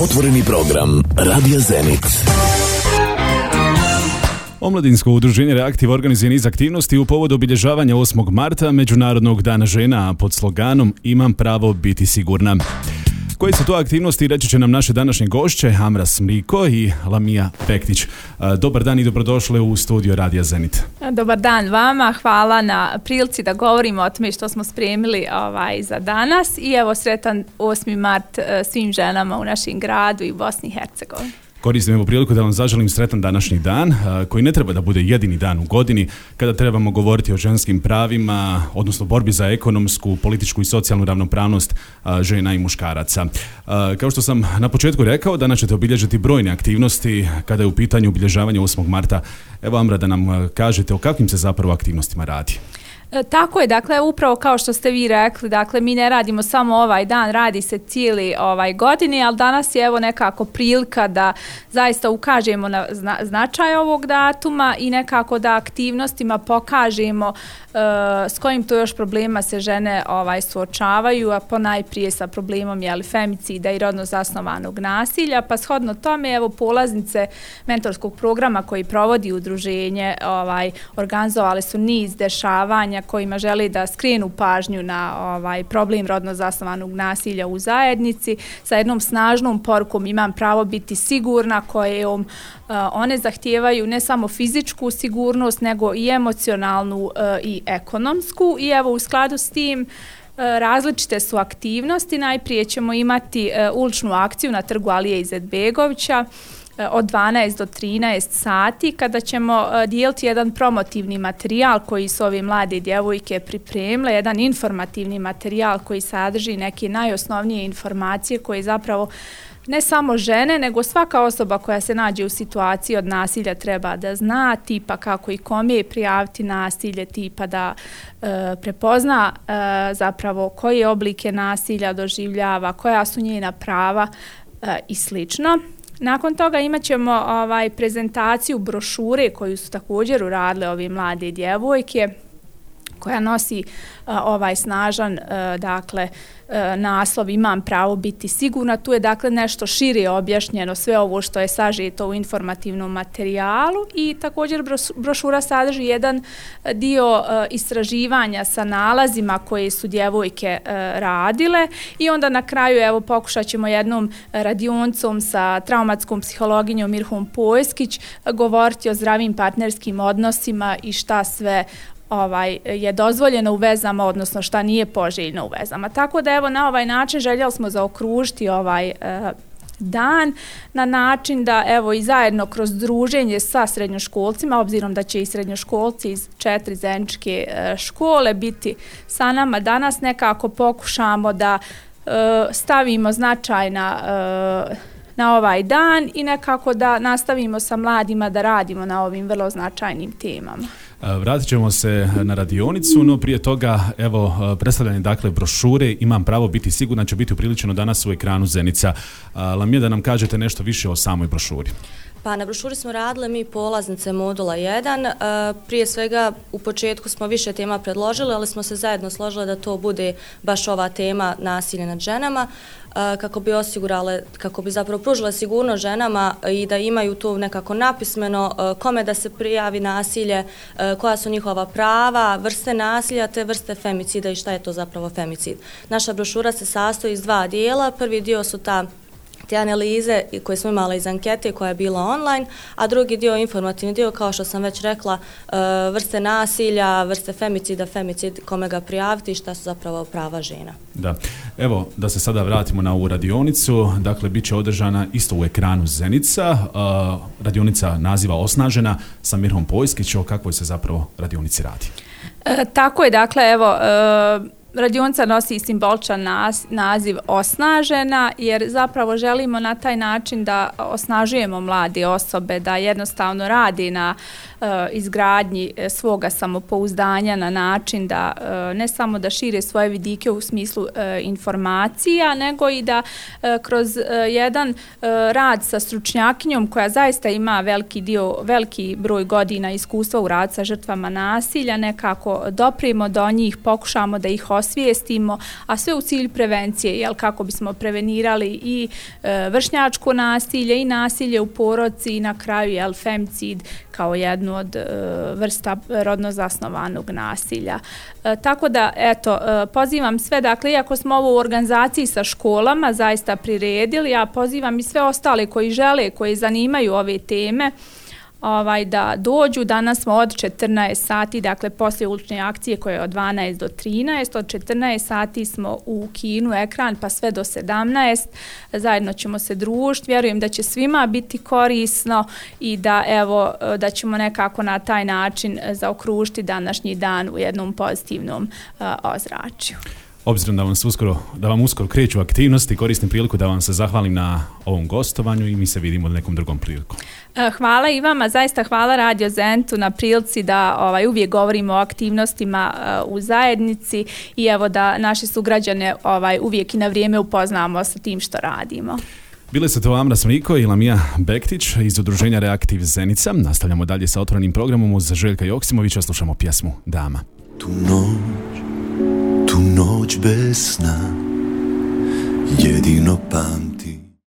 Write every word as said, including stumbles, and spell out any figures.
Otvoreni program Radija Zenit. Omladinsko udruženje Reaktiv organizuje niz aktivnosti u povodu obilježavanja osmog marta, Međunarodnog dana žena, pod sloganom Imam pravo biti sigurna. Koje su to aktivnosti reći će nam naše današnje gošće, Amras Mliko i Lamija Pektić. Dobar dan i dobrodošle u studio Radija Zenit. Dobar dan vama, hvala na prilici da govorimo o tome što smo spremili ovaj, za danas i evo sretan osmi mart svim ženama u našem gradu i u Bosni i Hercegovini. Koristim evo priliku da vam zaželim sretan današnji dan, koji ne treba da bude jedini dan u godini kada trebamo govoriti o ženskim pravima, odnosno borbi za ekonomsku, političku i socijalnu ravnopravnost žena i muškaraca. Kao što sam na početku rekao, danas ćete obilježiti brojne aktivnosti kada je u pitanju obilježavanje osmog marta. Evo, Amra, da nam kažete o kakvim se zapravo aktivnostima radi. Tako je, dakle, upravo kao što ste vi rekli, dakle, mi ne radimo samo ovaj dan, radi se cijeli ovaj godini, ali danas je evo nekako prilika da zaista ukažemo na zna, značaj ovog datuma i nekako da aktivnostima pokažemo uh, s kojim to još problema se žene ovaj suočavaju, a ponajprije sa problemom jeli, femicida i rodno zasnovanog nasilja, pa shodno tome evo polaznice mentorskog programa koji provodi udruženje ovaj organizovali su niz dešavanja kojima želi da skrenu pažnju na ovaj problem rodno zasnovanog nasilja u zajednici sa jednom snažnom porukom imam pravo biti sigurna, kojom uh, one zahtijevaju ne samo fizičku sigurnost nego i emocionalnu uh, i ekonomsku i evo u skladu s tim različite su aktivnosti. Najprije ćemo imati uh, uličnu akciju na trgu Alije Izetbegovića od dvanaest do trinaest sati kada ćemo dijeliti jedan promotivni materijal koji su ove mlade djevojke pripremile, jedan informativni materijal koji sadrži neke najosnovnije informacije koje zapravo ne samo žene, nego svaka osoba koja se nađe u situaciji od nasilja treba da zna, tipa kako i kome prijaviti nasilje, tipa da e, prepozna e, zapravo koje oblike nasilja doživljava, koja su njena prava e, i slično. Nakon toga imat ćemo ovaj, prezentaciju brošure koju su također uradile ove mlade djevojke, koja nosi uh, ovaj snažan uh, dakle uh, naslov imam pravo biti sigurna. Tu je dakle nešto šire objašnjeno sve ovo što je sažeto u informativnom materijalu i također brošura sadrži jedan dio uh, istraživanja sa nalazima koje su djevojke uh, radile i onda na kraju evo pokušat ćemo jednom radioncom sa traumatskom psihologijom Mirhom Pojskić uh, govoriti o zdravim partnerskim odnosima i šta sve ovaj je dozvoljeno u vezama, odnosno šta nije poželjno u vezama. Tako da evo na ovaj način željeli smo zaokružiti ovaj e, dan na način da evo i zajedno kroz druženje sa srednjoškolcima, obzirom da će i srednjoškolci iz četiri zeničke e, škole biti sa nama danas, nekako pokušamo da e, stavimo značaj na e, na ovaj dan i nekako da nastavimo sa mladima da radimo na ovim vrlo značajnim temama. Vratit ćemo se na radionicu, no prije toga, evo, predstavljanje dakle brošure Imam pravo biti sigurna će biti upriličeno danas u ekranu Zenica. Lamija, da nam kažete nešto više o samoj brošuri. Pa na brošuri smo radile mi polaznice modula jedan. E, prije svega u početku smo više tema predložili, ali smo se zajedno složile da to bude baš ova tema nasilje nad ženama, e, kako bi osigurale, kako bi zapravo pružile sigurnost ženama i da imaju to nekako napismeno e, kome da se prijavi nasilje, e, koja su njihova prava, vrste nasilja te vrste femicida i šta je to zapravo femicid. Naša brošura se sastoji iz dva dijela. Prvi dio su ta te analize koje smo imali iz ankete koja je bila online, a drugi dio informativni dio, kao što sam već rekla, vrste nasilja, vrste femicida, femicid, kome ga prijaviti i šta su zapravo prava žena. Da, evo da se sada vratimo na ovu radionicu, dakle bit će održana isto u ekranu Zenica, uh, radionica naziva Osnažena sa Mirhom Pojskić. O kakvoj se zapravo radionici radi? E, tako je, dakle, evo, e, radionica nosi simboličan naziv Osnažena jer zapravo želimo na taj način da osnažujemo mlade osobe, da jednostavno radi na uh, izgradnji svoga samopouzdanja na način da uh, ne samo da šire svoje vidike u smislu uh, informacija, nego i da uh, kroz uh, jedan uh, rad sa stručnjakinjom koja zaista ima veliki dio, veliki broj godina iskustva u radu sa žrtvama nasilja, nekako doprijemo do njih, pokušamo da ih osvijestimo, a sve u cilju prevencije, jel, kako bismo prevenirali i e, vršnjačko nasilje i nasilje u porodici i na kraju, jel, femicid kao jednu od e, vrsta rodno zasnovanog nasilja. E, tako da, eto, e, pozivam sve, dakle, iako smo ovo u organizaciji sa školama zaista priredili, ja pozivam i sve ostale koji žele, koji zanimaju ove teme, ovaj, da dođu. Danas smo od četrnaest sati, dakle poslije ulične akcije koje je od dvanaest do trinaest, od četrnaest sati smo u kinu Ekran pa sve do sedamnaest, zajedno ćemo se družiti, vjerujem da će svima biti korisno i da, evo, da ćemo nekako na taj način zaokružiti današnji dan u jednom pozitivnom uh, ozračju. Obzirom da vam, uskoro, da vam uskoro kreću aktivnosti, koristim priliku da vam se zahvalim na ovom gostovanju i mi se vidimo nekom drugom priliku. Hvala i vama, zaista hvala Radio Zenitu na prilici da ovaj, uvijek govorimo o aktivnostima uh, u zajednici i evo da naše sugrađane ovaj, uvijek i na vrijeme upoznamo sa tim što radimo. Bile su to Amra Smriko i Lamija Bektić iz udruženja Reaktiv Zenica. Nastavljamo dalje sa otvorenim programom uz Željka Joksimovića, slušamo pjesmu Dama. Tu noć, tu noć bez sna, jedino pam